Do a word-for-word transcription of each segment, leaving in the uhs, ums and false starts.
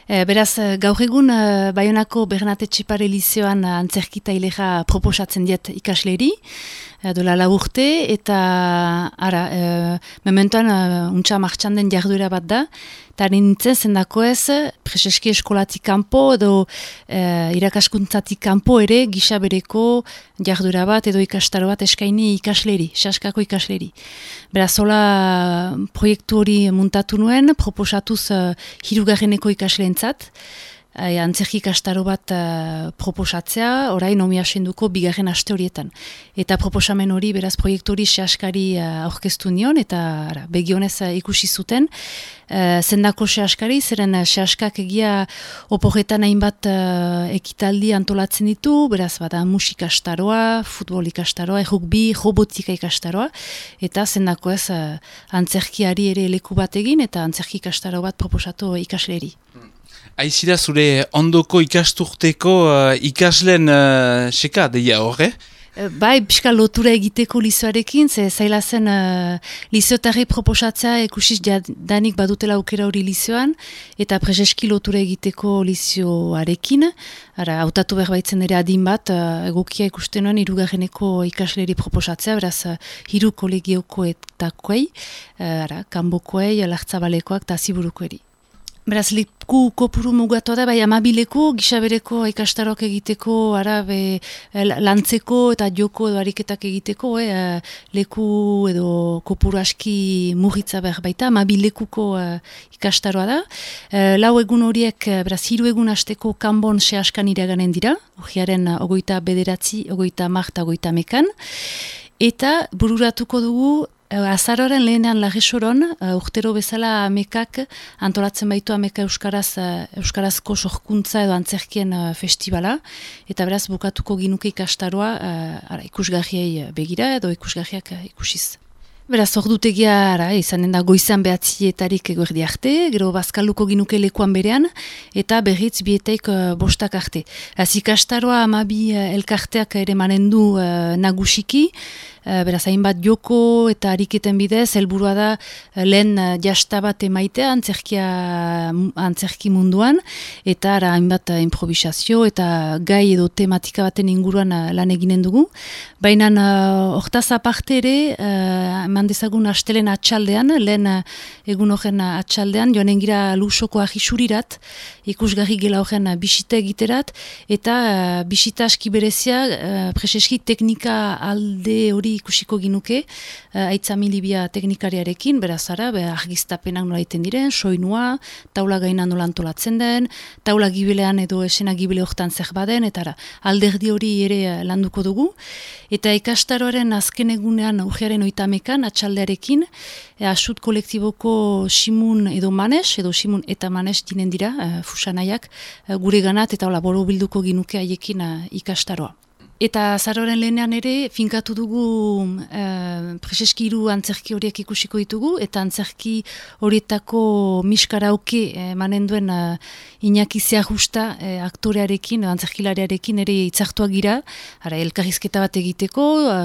E, beraz, gaur egun e, Baionako Bernate Etxepare Lizeoan antzerkita ileja proposatzen diet ikasleri, e, dola lau urte, eta ara, e, mementoan e, untxa martxan den jarduera bat da, eta nintzen zendako ez, preseski eskolatik kanpo edo e, irakaskuntzatik kanpo ere gisa bereko jarduera bat edo ikastaro bat eskaini ikasleri, saskako ikasleri. Beraz, hola proiektu hori muntatu nuen, proposatuz uh, hirugarreneko ikasleentzat, uh, antzerki ikastaro bat uh, proposatzea, orain omi asenduko bigarren aste horietan. Eta proposamen hori, beraz, proiektu hori saskari uh, aurkeztu nion, eta ara, begionez uh, ikusi zuten, uh, zendako saskari, zeren uh, saskak egia oporretan hainbat uh, ekitaldi antolatzen ditu, beraz, bada musika ikastaroa, futbol ikastaroa, rugby, robotika ikastaroa, eta zendako ez uh, antzerkiari ere leku bat egin, eta antzerki ikastaro bat proposatu ikasleri. Aizira zure ondoko ikasturteko uh, ikaslen uh, seka deia horre? Bai, pixka lotura egiteko lizoarekin, ze zaila zen uh, lizotarri proposatzea ekusiz danik badutela aukera hori lizoan, eta prezeski lotura egiteko lizioarekin. Ara, hautatu behar baitzen ere adin bat, uh, egokia ikusten nuen hirugarreneko ikasleri proposatzea, beraz, uh, hiru kolegiokoetakoei, uh, ara, kanbokoei, lartzabalekoak eta ziburukoeri. Beraz, leku kopuru mugatu da, bai amabileko, gisabereko ikastaroak egiteko, ara, be, lantzeko eta joko edo ariketak egiteko, eh, leku edo kopuru aski mugitza behar baita, amabilekuko eh, ikastaroa da. Eh, lau egun horiek, beraz, hiru egun hasteko kanbon sehaskan iraganen dira, urriaren ogoita bederatzi, ogoita marta, ogoita mekan, eta bururatuko dugu, azaroaren lehenean Lagesoron, uh, urtero bezala amekak antolatzen baitu ameka euskaraz, uh, euskarazko sorkuntza edo antzerkien uh, festivala, eta beraz bukatuko ginuke ikastaroa uh, ara, ikusgarriei begira edo ikusgarriak uh, ikusiz. Beraz, ordutegia ara, izanen da goizan behatzietarik eguerdi arte, gero bazkaluko ginuke lekuan berean, eta berriz bieteik uh, bostak arte. Az ikastaroa amabi uh, elkarteak ere manen du uh, nagusiki, Uh, beraz, hainbat joko eta ariketen bidez, helburua da uh, lehen uh, jasta bat emaitea antzerkia, antzerki munduan, eta ara, hainbat uh, improvisazio eta gai edo tematika baten inguruan uh, lan eginen dugu. Baina uh, hortaz aparte ere, uh, eman dezagun astelen atxaldean, lehen uh, egun horren uh, atxaldean, joanen gira lusoko ahisurirat, ikusgarri gela horren uh, bisita egiterat, eta uh, bisita aski berezia, uh, preseski teknika alde hori ikusiko ginuke, uh, aitza milibia teknikariarekin, beraz ara, be, argiztapenak nola iten diren, soinua, taula gaina nola antolatzen den, taula gibilean edo esena gibile hortan zer baden, eta ara, alderdi hori ere uh, landuko dugu. Eta ikastaroaren azken egunean urriaren oitamekan, atxaldearekin, e, asut kolektiboko simun edo manes, edo simun eta manes dinen dira, uh, fusanaiak, uh, gure ganat, eta hola, boro bilduko ginuke haiekin uh, ikastaroa. Eta azaroren lehenean ere, finkatu dugu e, preseski hiru antzerki horiek ikusiko ditugu, eta antzerki horietako miskarauke e, manen duen e, Iñaki Zeajusta e, aktorearekin, antzerkilariarekin ere itzartuak gira, ara, elkarrizketa bat egiteko, e,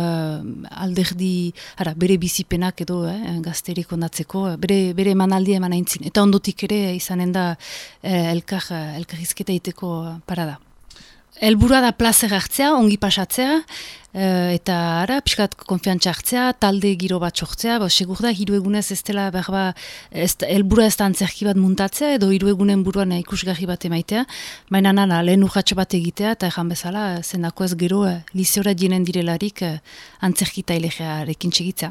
alderdi, ara, bere bizipenak edo e, gazterik ondatzeko, bere, bere emanaldia eman aintzin. Eta ondotik ere izanen da e, elkar, elkarrizketa egiteko parada. Helburua da plazer hartzea, ongi pasatzea, e, eta ara, pixkat konfiantza hartzea, talde giro bat sortzea, ba, segur da, hiru egunez ez dela berba, helburua ez da antzerki bat muntatzea, edo hiru egunen buruan ikusgarri bat emaitea, baina nana, lehen urratxo bat egitea, eta erran bezala, zendako ez gero, lizeora jenen direlarik antzerki tailegearekin txegitza.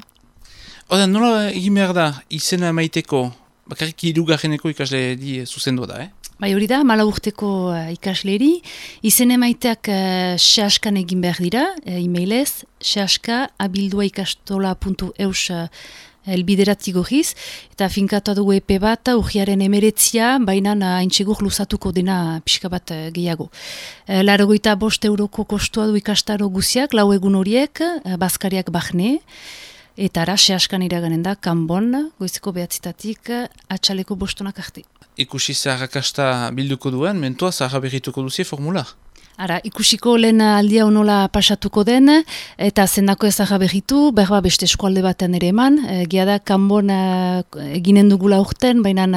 Oda, nola egin behar da, izena emaiteko, bakarrik hirugarreneko ikasle di zuzendu da, eh? Bai hori da, mala urteko uh, ikasleri, izen emaiteak uh, sehaskan egin behar dira, uh, e-mailez, sehaska abildua ikastola puntu eus uh, elbiderat igorriz, eta finkatu dugu epe bat, urriaren emeretzia, baina haintsegur luzatuko dena pixka bat uh, gehiago. Uh, Larogoita bost euroko kostua du ikastaro guziak, lau egun horiek, uh, bazkariak bahne, eta ara, sehaskan iraganen da, kanbon, goizeko behatzitatik, uh, atxaleko bostonak arte. Ikusi zaharrakasta bilduko duen, mentua zaharra berrituko duzie formula? Ara, ikusiko lehen aldia nola pasatuko den, eta zendako ezagra berritu, berba beste eskualde batean ere eman, e, gia da, kanbon e, eginen dugula urten, baina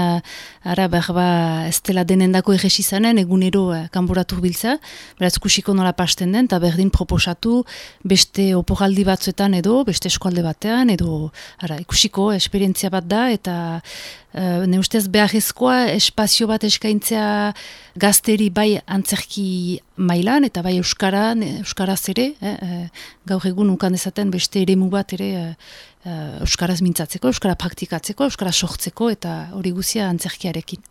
ara berba ez dela denendako egesi zanen, egunero e, kanboratu biltza, beraz ikusiko nola pasten den, eta berdin proposatu beste oporaldi batzuetan edo, beste eskualde batean, edo ara, ikusiko esperientzia bat da, eta Uh, ne ustez beharrezkoa espazio bat eskaintzea gazteri bai antzerki mailan eta bai euskara, euskaraz ere, eh, gaur egun ukan dezaten beste eremu bat ere uh, euskaraz mintzatzeko, euskara praktikatzeko, euskara sortzeko eta hori guzia antzerkiarekin.